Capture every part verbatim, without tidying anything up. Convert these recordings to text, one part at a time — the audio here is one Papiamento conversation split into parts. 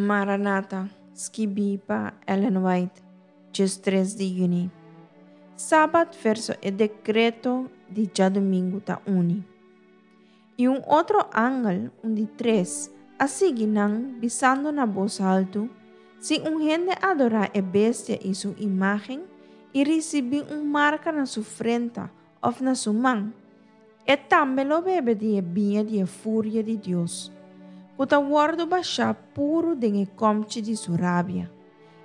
Maranata, skibí pa Ellen White, diestres di yüni. Sabat verso e dekreto di djadumingu ta uni. I un otro angel, un di tres, a sigui nan, bisando na bos haltu, Si un hende adorá e bestia i su imágen i risibí un marka na su frenta òf na su man, e tambe lo bebe di e biña di e furia di Dios, ku ta wòrdu bashá puru den e kòmchi di su rabia,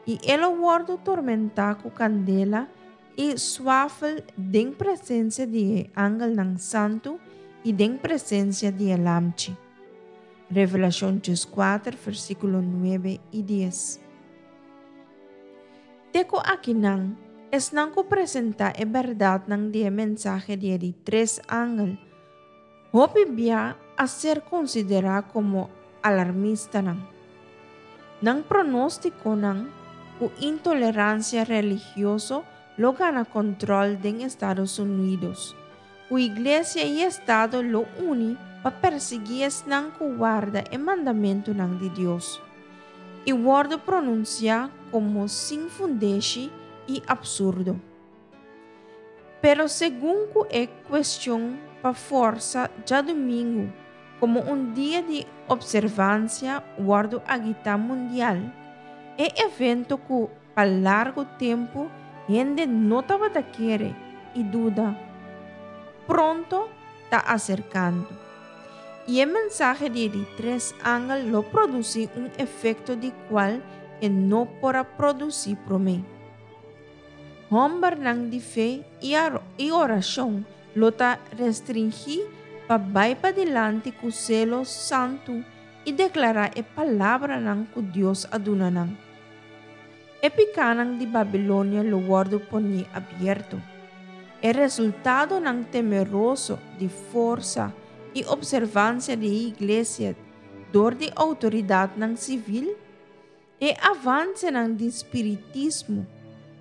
i e lo wòrdu tormentá ku kandela i suafel den presensia di e angelnan santu i den presensia di e Lamchi. Revelashon dieskuater, versíkulo nuebe i dies. Te ku akinan, esnan ku presentá e bèrdatnan di e mensahe di e di tres angel, hopi bia a ser konsiderá komo alarmistanan. Nan pronóstikonan ku intoleransia religioso lo gana kòntròl den Estados Unidos, ku iglesia i estado lo uni pa persiguí esnan ku warda e mandamentunan di Dios, i wòrdu pronunsiá komo sin fundeshi i apsurdo. Pero segun ku e kuestion pa forsa djadumingu komo un dia di opservansia wòrdu agitá mundial, e evento ku pa largu tempu hende no tabata kere i duda, pronto ta aserkando. I e mensahe di e di tres angel lo produsí un efekto di kual e no por a produsí promé. Hòmbernan di fe i orashon lo ta restringí pa bai padilanti ku selo santu i deklará e palabranan ku Dios a duna nan. E pikánan di Babilonia lo wòrdu poní abierto. E resultadonan temeroso di forsa i opservansia di e iglesia dor di outoridatnan sivil, e avansenan di spiritismo,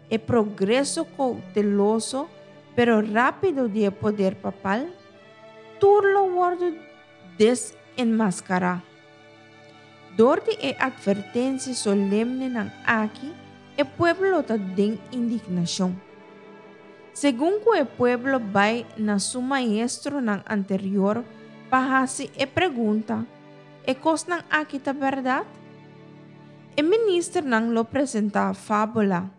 e progreso kouteloso pero rápido di e poder papal, tur lo wòrdu desenmaskará. Dor di e atvertensia solemnenan aki, e pueblo lo ta den indignashon. Segun ku e pueblo bai na su maestronan anterior pa hasi e pregunta, E kosnan aki ta bèrdat? E ministernan lo presentá fábula,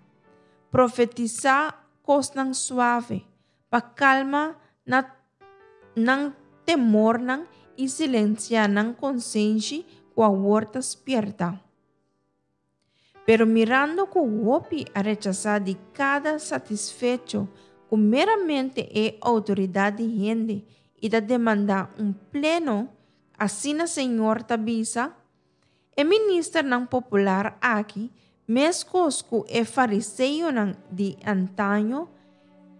profetisá kosnan suave pa kalma na nan temornan i silensiá nan konsenshi ku awor ta spièrta. Pero mirando ku hopi a rechasá di kada satisfecho ku meramente e outoridat di hende i ta demandá un pleno asina Señor ta bisa, e ministernan popular aki, meskos ku e fariseonan di antaño,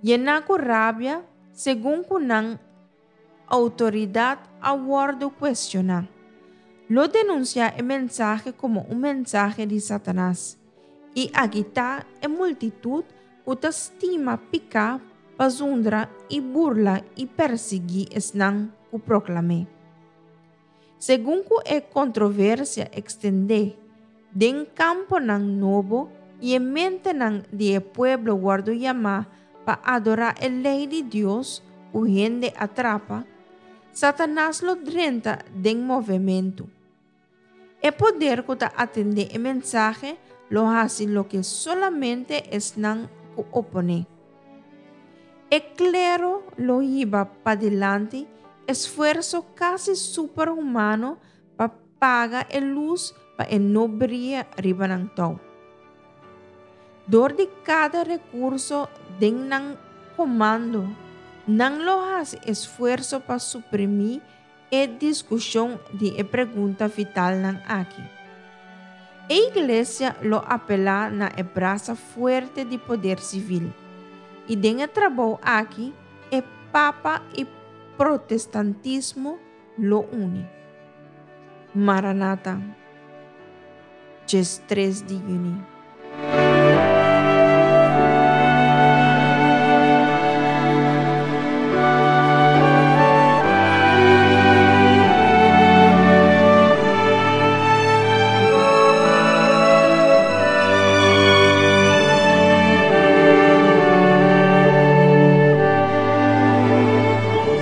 yená ku rabia segun ku nan outoridat a wòrdu kuestioná. Lo denunsiá e mensahe komo un mensahe di Satanas i agitá e multitut ku ta stima piká pa zundra i burla i persiguí esnan ku proklam'é. Segun ku e kontroversia ekstendé den kamponan nobo i e mentenan di e pueblo wòrdu yamá pa adorá e lei di Dios ku hende a trapa, Satanas lo drenta den movementu. E poder ku ta atendé e mensahe lo hasi loke solamente esnan ku oponé. E klero lo hiba padilanti esfuerso kasi superhumano pa paga e lus pa e no bria riba nan tou. Dor di kada rekurso den nan komando, nan lo hasi esfuerso pa suprimí e diskushon di e pregunta vitalnan aki. E iglesia lo apelá na e brasa fuerte di poder sivil, i den e trabou aki e papa i protestantismo lo uni. Maranata, djes tres di yüni.